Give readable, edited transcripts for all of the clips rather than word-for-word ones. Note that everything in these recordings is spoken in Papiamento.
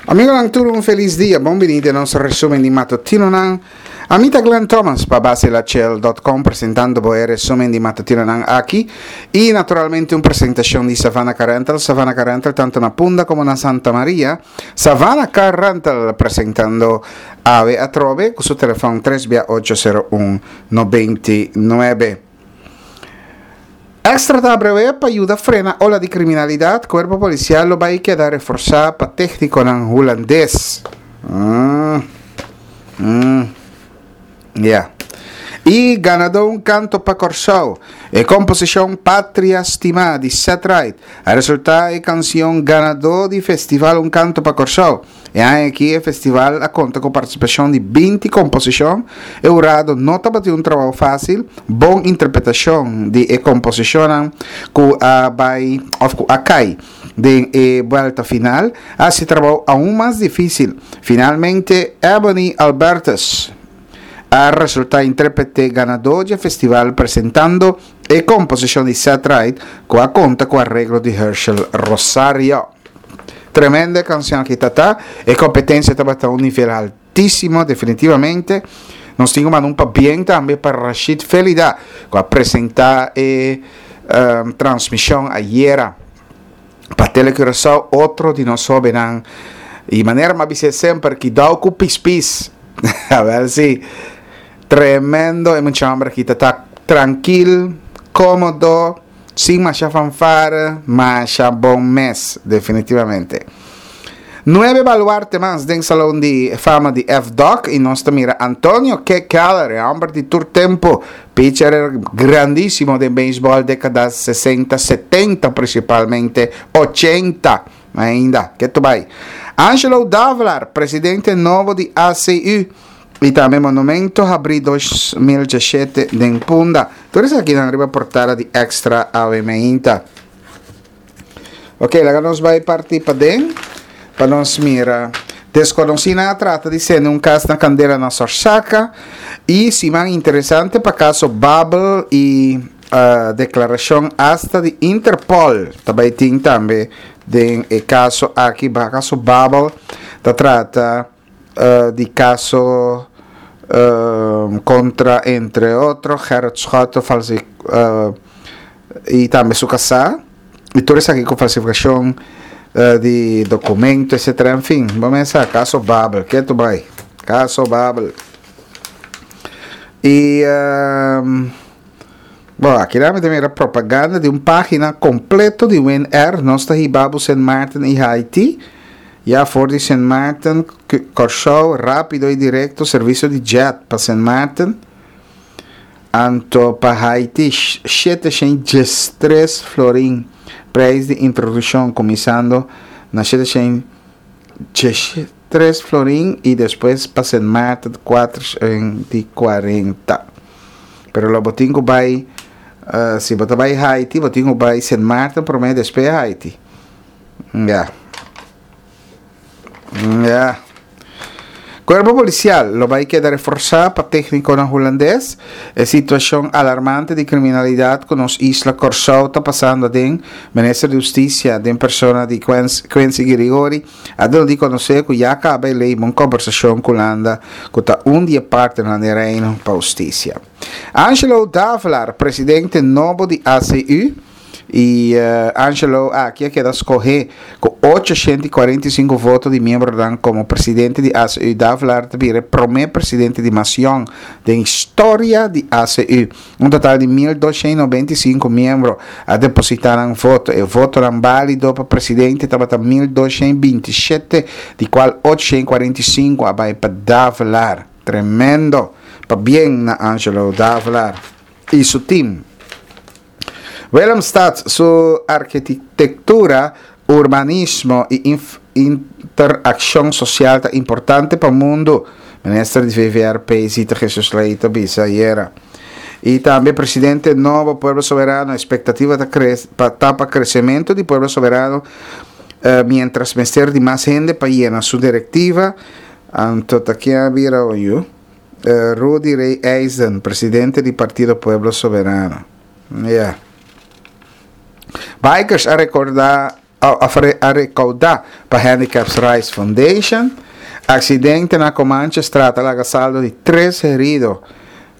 Amigonan tur un felis dia, bon bini den nos resumen di matutinonan. Ami ta Glenn Thomas pa baselachel.com presentando bo e resumen di matutinonan aki y naturalmente un presentacion di Savannah Car Rental, Savannah Car Rental tanto na Punda como na Santa Maria. Savannah Car Rental presentando awe atrobe cu su telefon 3 bia 801 99. Extra ta abrewé pa yuda frena ola di kriminalidat, Kuerpo Polisial lo bai keda reforsá pa téknikonan hulandes. Mm. Mm. Ya. I ganadó Un Kanto pa Kòrsou, e komposishon Patria Stimá di Ced Ride a resultá e kansion ganadó di Festival Un Kanto pa Kòrsou. E aña aki e festival a konta ku partisipashon di binti komposishon. E hurado no tabatin un trabou fásil, bon interpretashon di e komposishonnan ku a bai òf ku a kai den e buèlta final a hasi e trabou aun mas difísil. Finalmente Ebony Albertus a resultá intérprete ganadó dje festival presentando e komposishon di Ced Ride ku a konta ku areglo di Herschel Rosario. Tremendo e canción aki ta ta. E competencia tabata un nivel altísimo, definitivamente. Nos tin cu manda un pabien tambe pa Rashid Felida, cu a presenta e um, transmision ayera pa Tele Curaçao, otro di nos hobennan. Y manera m'a bis'é semper, kidao cu pispis. A ver si. Tremendo e mucha homber aki ta ta trankil, cómodo. Sin masha fanfare, masha bon mes, definitivamente. Nuebe baluarte mas den Salon di Fama di FDOC y nos ta mira Antonio K. Keller, e homber di tur tempo, pitcher grandisimo den beisbol decada 60, 70 principalmente, 80 ainda, ketu bay. Angelo Davelaar, presidente nobo di ACU. Y tambe Monumento habri 2017 den Punda. Tur esakinan riba portada di Extra awe meinta. Ok, laga nos bai parti paden pa nos mira. Desconocinan a trata di sende un cas na candela na Sorsaka y siman interesante pa caso Babel y uh, declaracion hasta di Interpol ta bai tin tambe den e caso aki. Caso Babel ta trata di kaso kontra entre otro Gerrit Schotte i tambe su kasá i tur esaki ku falsifikashon di dokumento etsetera enfin bo mester sa kaso Babel ketu bai kaso Babel i bo aki nan mi ta mira propaganda di un pagina kompleto di Winair nos ta hiba bo Sint Maarten i Haiti. Ya for di Sint Maarten, Kòrsou, rápido i direkto servisio di djèt pa Sint Maarten, anto pa Haiti 713 florin preis di introdukshon kuminsando na 713 florin i despues pa Sint Maarten 440. Pero lo bo tin ku bai, si bo ta bai Haiti bo tin ku bai Sint Maarten promé despues Haiti. Ya. Ya. Cuerpo policial lo bai keda reforzá pa técniconan hulandes. E situacion alarmante di criminalidad cu nos isla Corsou ta pasando aden, Minister di Husticia den persona di Quincy Girigorie a duna di conoce cu ya caba e ley bon conversacion cu Hulanda cu ta un di e partnernan den Reino pa Husticia. Angelo Davelaar, presidente nobo di ACU, I Angelo aki a keda skohé ku 845 voto di miembronan komo presidente di ACU. Davelaar ta bira e promé presidente di mas yòn den historia di ACU. Un total di 1295 miembro a depositá nan voto. E votonan bálido pa presidente tabata 1227, di kual 845 a bai pa Davelaar. Tremendo! Pabien na Angelo Davelaar i su tim. Willemstad su arkitektura, urbanismo i interakshon sosial ta importante pa mundu, minister di VVRP Zita Jesus Leito bisa ayera. I tambe presidente nobo Pueblo Soberano espektativa ta pa ta pa kresementu di Pueblo Soberano mientras mester di mas hende pa yena su direktiva. Anto ta ken a bira oyu? Rudy Ray Eisden, presidente di Partido Pueblo Soberano. Ya. Bikers a recorda a rekoudá pa Handicaps Rights Foundation. Aksidente na Comanchestraat a laga saldo di tres herido.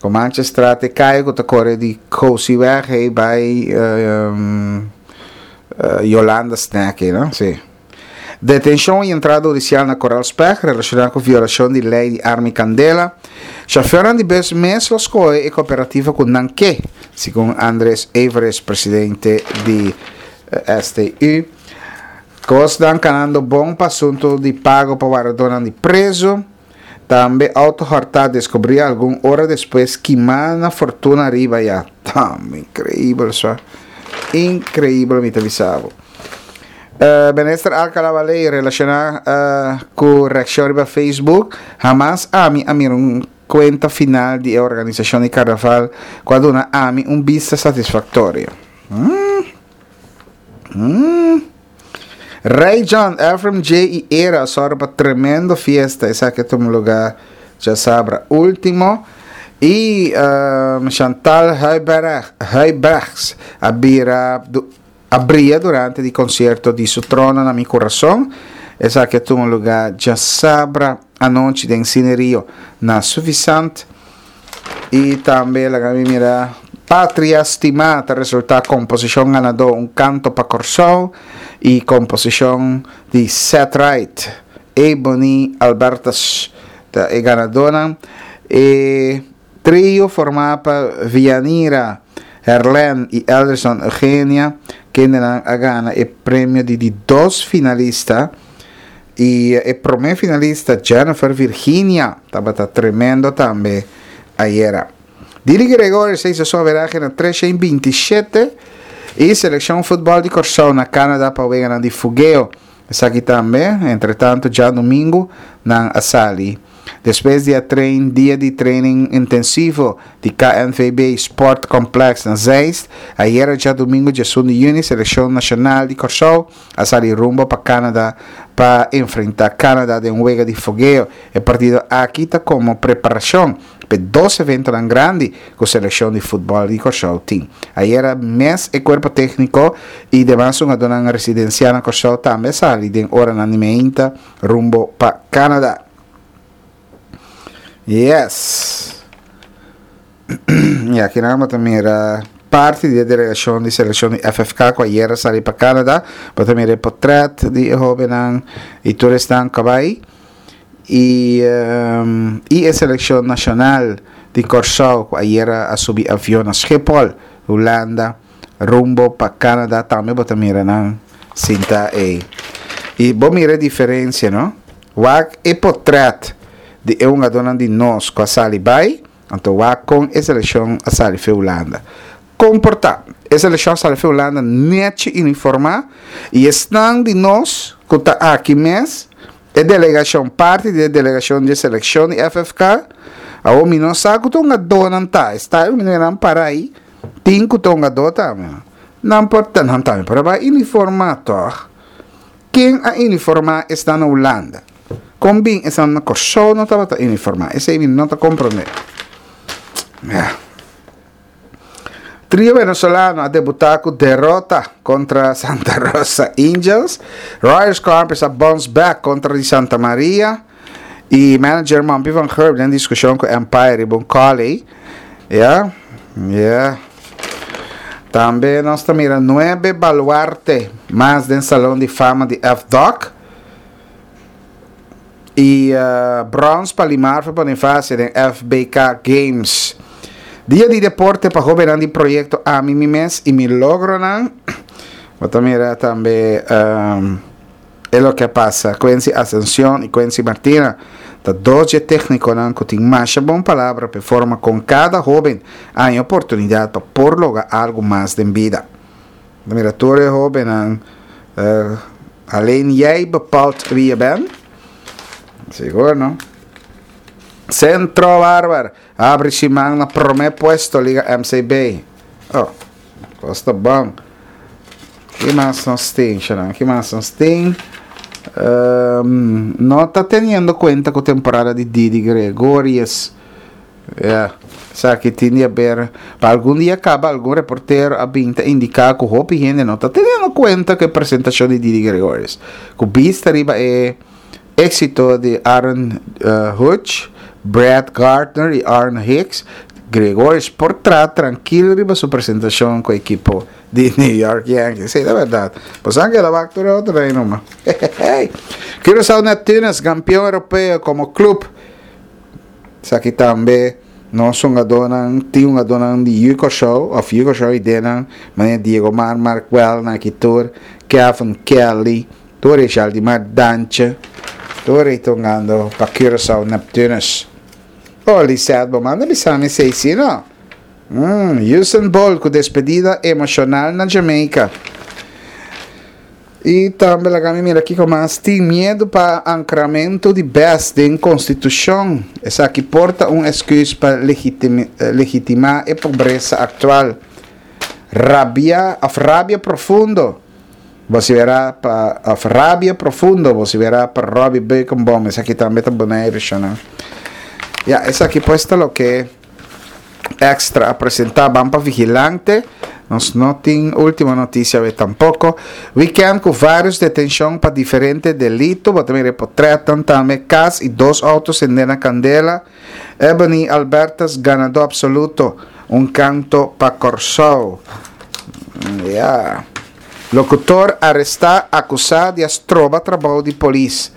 Comanchestraat e kaya ku ta kore di Kosiweg hei bai Yolanda Snack ei no? Si. Detenshon i entrada hudisial na Koral Speg relashoná ku violashon di lei di arma i kandela. Shofèrnan di bus mes lo skohe e kooperativa ku nan ke, segun Andres Everest, presidente di STU. Kosnan kanando bon pa asuntu di pago pa wardadónan di prezu. Tambe outo hòrtá deskubrí algun ora despues kimá na Fortuna riba ya. Tambe inkreibel swa. Inkreibel mi ta bisa bo. Minister Alcala Baley relashoná ku reakshon riba Facebook, Hamas ami a mira un kuenta final di e organisashon di karnaval ku a duna ami un bista satisfaktorio. Rey John, Efrem J i Era a sòru pa tremendo fiesta. Esaki a tuma lugá djasabra último. I Chantal Huijbregts a bira a bria durante di konsierto di Su Trono na Mi Kurason. Esaki a tuma lugá djasabra anochi den Cine Rio na Suffisant. I tambe laga mi mira Patria Stimá ta resultá komposishon ganadó Un Kanto pa Kòrsou i komposishon di Seth Wright, Ebony Albertus ta e ganadónan. E trio formá pa Vianira Herlen i Elderson Eugenia kendenan a gana e premio di di dos finalista. I e promé finalista Jennifer Virginia tabata tremendo tambe ayera. Didi Gregorius a hisa su averahe na 327 i selekshon futbòl di Kòrsou na Canada pa weganan di fugeo. Esaki tambe, entretantu djadumingu nan a sali. Despues di a train dia di training intensivo di KNVB Sport Complex na Zeist, ayera djadumingu djesun di yüni selekshon nashonal di Kòrsou a sali rumbo pa Canada pa enfrenta Canada den un wega di fogeo. E partido aki ta komo preparashon p'e dos eventonan grandi ku selekshon di futbòl di Kòrsou tin. Ayera mes e kuerpo tékniko i demas hungadónan residensiá na Kòrsou tambe a sali den oranan di meinta rumbo pa Canada. Yes. Y aki nan bo ta mira parti di e delegacion di seleccion di FFK cu ayer a sali pa Canada. Bo ta mira e potret di e hobennan y tur esnan cu a bay. Y, y e seleccion nacional di Corsou cu ayer a subi avion na Schiphol, Hulanda, rumbo pa Canada. Tambe bo ta mira nan sinta ey. Y bo mira e diferencia, no? Wak e potret di e hungadornan di nos cu a sali bay. Anto wak kon e selekshon a sali fe Hulanda. Kon por ta? E selekshon a sali fe Hulanda nechi uniformá i esnan di nos ku ta aki mes, e delegashon, parti di e delegashon di e selekshon di FFK, awor mi no sa ku ta hungadónan ta, e sta mi nan para ei, tin ku ta hungadó tambe. Nan por ta, nan tambe por a bai uniformá tòg. Ken a uniformá esnan na Hulanda? Kon bin esnan na Kòrsou no tabata uniformá? Esei mi no ta komprondé. Ya. Trio venezolano a debutá ku derota kontra Santa Rosa Angels. Royal Scorpions a bounce back kontra di Santa Maria. I manager Mompy van Gurp den diskushon ku Empire riba un kòlei. Ya, ya. Tambe nos ta mira nuebe baluarte mas den Salon di Fama di FDOC. I brons pa Limarfe Bonifacio den FBK Games. Dia di deporte pa hobennan di proyecto Ami Mi Mes y Mi Logronan. Bo ta mira tambe e loke a pasa. Quincy Ascencion y Quincy Martina ta dos dje tecniconan cu tin masha bon palabra p'e forma con cada hoben haña oportunidad pa por logra algo mas den bida. Bo ta mira tur e hobennan. Alleen jij bepaalt wie je bent? Sigur no. Centro Barber abri siman na prome puesto Liga MCB. Oh, kos ta bon. Ki mas nos tin, Sharon? Ki mas nos tin? Um, no ta teniendo cuenta cu temporada di Didi Gregorius. Ya, esaki tin di haber. Pa algun dia kaba algun reportero a bin ta indiká ku hopi hende no ta teniendo kuenta ku e presentashon di Didi Gregorius. Ku bista riba e éksito di Aaron Hutch, Brett Gardner i Aaron Hicks, Gregorius por traha trankil riba su presentashon ku ekipo di New York Yankees. Sí, ta bèrdat. Bo sa ke el a wak tur e otro rei numa. Curaçao Neptunus, kampion europeo komo klup. Esaki tambe nos hungadónan, tin hungadónan di Yu Kòrsou òf Yu Kòrsou idenan, manera Diego Mar, Mark Welna aki tur, Kevin Kelly, tur e Jaldimar Dantje, tur ei ta hungando pa Curaçao Neptunus. Oh Lisette, bo manda bisa mi esei si no? Umm, Usain Bolt ku despedida emoshonal na Jamaica. I tambe laga mi mira kiko mas tin miedu pa ankramentu di bes den konstitushon. Esaki por ta un esküs pa legitimá e pobresa aktual. Rabia òf rabia profundo vosiferá pa òf rabia profundo vosiferá pa Robby Beukenboom. Esaki tambe ta Boneiru shona. Ya, esaki pues ta loke. Extra a presenta ban pa vigilante. Nos no tin ultimo noticia awe tampoco. Weekend cu varios detencion pa diferente delito. Bo ta mira e potretnan tambe. Cas y dos auto sende na candela. Ebony Albertus ganador absoluto. Un canto pa Corsou. Ya. Locutor aresta acusa di a stroba trabou di polis.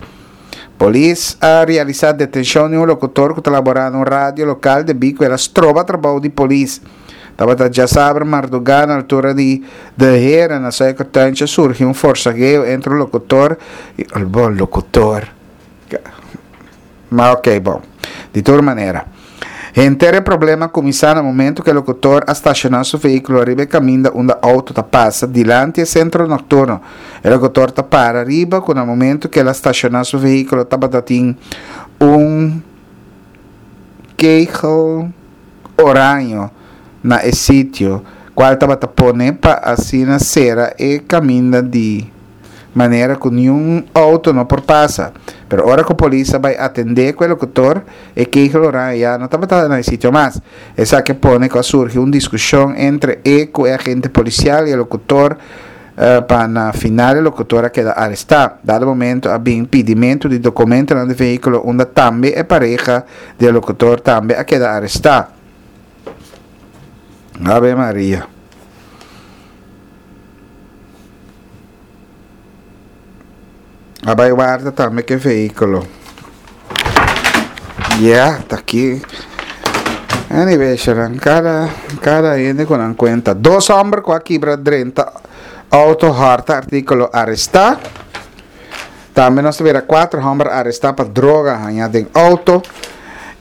Polis a realisá detenshon di un lokutor ku ta laborá na un radio lokal debí ku el a stroba trabou di polis. Tabata djasabra mardugá na altura di De Heren na Suikertuintje surgi un forsageo entre un lokutor i un bon lokutor. Ma ok bon. Di tur manera. Henter e problema a kuminsá na momentu ku e lokutor a stashoná su vehíkulo riba e kaminda unda outo ta pasa dilanti e sentro nokturno. E lokutor ta para riba ku na momentu ku el a stashoná su vehíkulo tabata tin un kegel oraño na e sitio kual tabata pone pa asina sera e kaminda di manera ku niun outo no por pasa. Pero ora ku polis a bai atendé ku e lokutor, e kegel oranje ya no tabata na e sitio mas. Esaki a pone ku a surgi un diskushon entre e ku e agente polisial i e lokutor pa na final e lokutor a keda arestá. Dado momento a bin pidimentu di dokumentonan di vehíkulo unda tambe e pareha di e lokutor tambe a keda arestá. Ave Maria. A bai warda tambe ke vehíkulo. Ya, ta aki. Anyway, shanan, kada, kada hende ku nan kuenta. Dos hòmber ku a kibra drenta outo hòrta artíkulo arestá. Tambe nos ta mira kuater hòmber arestá pa droga hañá den outo.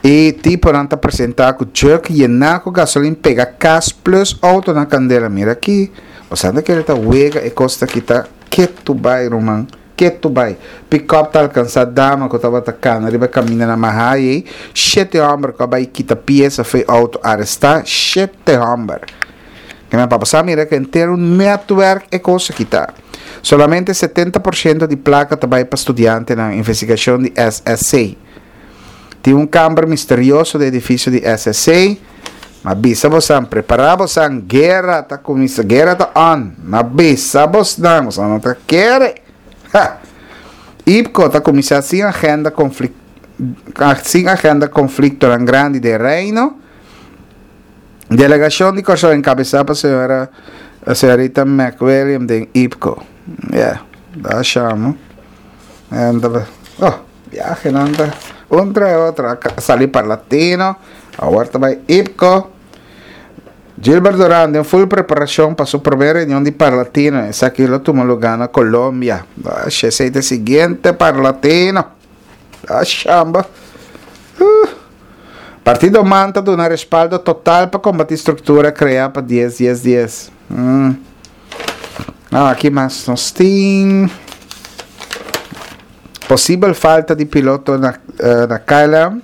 E tiponan ta presentá ku jug yená ku gasolin pega kas plus outo na kandela. Mira aki. Bo sa ta kere ta wega e kos ta kita ketu bai ruman, ketu bai. Pikòp ta alkansá dama ku tabata kana riba kaminda na Mahayey, shete hòmber ku a bai kita piesa fo'i outo arestá, shete hòmber. Kende pa bo sa mira ku henter un nètwèrk e kos aki ta. Solamente 70 por shento di plaka ta bai pa studiantenan, investigashon di SSC. Tin un kamber misterioso den edifisio di SSC. Ma bisa bosan, prepara bosan, guera ta kuminsa, guera ta on. Ma bisa bosnan, bosan no ta kere. Ha! IPCO ta kuminsa sin agenda konflik sin agenda konfliktonan grandi den Reino. Delegashon di Kòrsou enkabesá pa señora señorita McWilliam den IPCO. Yeah, da shamo. Oh. Viajenan ta un tras otro a sali pa Latino, awor ta bai IPCO. Gilbert Duran den full preparacion pa su prome reunion di Parlatino, esaki lo tuma lugar na Colombia. Ash, esey ta e siguiente Parlatino. Ashamba. Uh. Partido man ta duna respaldo total pa combati structura crea pa dies dies dies. Mm. Ah, aki mas nos tin. Posibel falta di piloto na na KLM.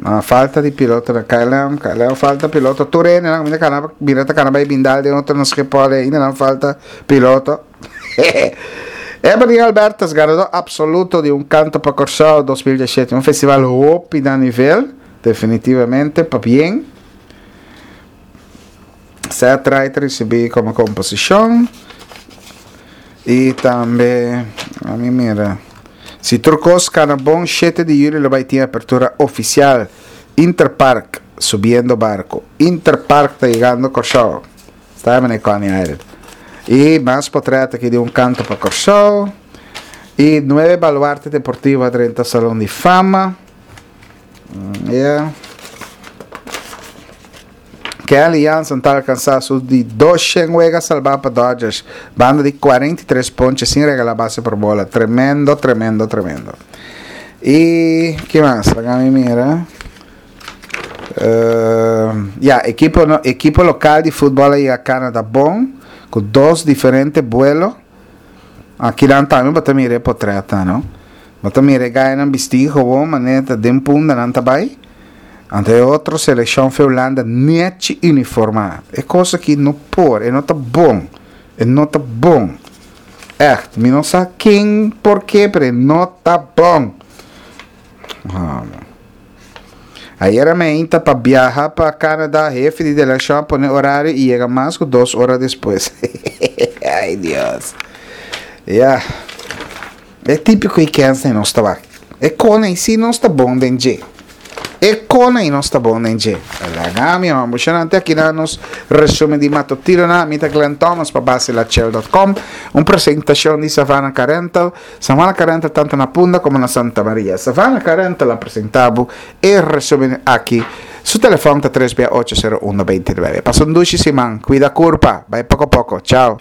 Na falta di piloto na KLM. KLM falta piloto. Tur hende nan cuminsa cana bira ta cana bay bindal den otro na Schiphol ainda nan falta piloto. Ebony Albertus, ganador absoluto di Un Canto pa Corsou 2017. Un festival hopi na nivel. Definitivamente, pabien. Seth Wright a risibí komo komposishon. I tambe, ami mira, si tur kos kana bon, shete di yüli lo bai tin apertura ofisial. Interpark subiendo barko. Interpark ta yegando Kòrsou. Sta e manera Coney Island. I mas potrèt aki di un kanto pa Kòrsou. I nuebe baluarte deportivo a drenta Salon di Fama. Yeah. Kenley Jansen ta alkansá su di 200 wega salbá pa Dodgers, banda di 43 ponche sin regalá base por bola. Tremendo, tremendo, tremendo. I ki mas? Laga mi mira. Uh, ya, ekipo, no, ekipo lokal di futbol a yega Canada bon, ku dos diferente buelo. Akinan tambe bo ta mira e potretnan, no? Bo ta mira e gainan bistí gewoon manera ta den punda nan ta bai. Anto e otro selekshon fe Hulanda nechi uniformá. E kos aki no por, e no ta bon. E no ta bon. Ègt, mi no sa ken por ke, pero e no ta bon. Ayera meinta pa biaha pa Canada, hefe di delegashon a pone orario i yega mas ku dos ora despues. Ay Dios. Ya. E típiko i kens ei nos ta wak. E kona ei si nos ta bon den dje. E kona ei nos ta bon den dje. Laga mi homber. Shonante aki na nos resumen di matutinonan. Mi ta Glenn Thomas pa basilachel.com. Un presentashon di Savannah Car Rental. Savannah Car Rental tanto na Punda como na Santa Maria. Savannah Car Rental a presenta bo e resumen aki. Su telefon ta 3 bia 8 0 1 29. Pasa un dushi siman. Cuida curpa. Bai poco poco. Chao.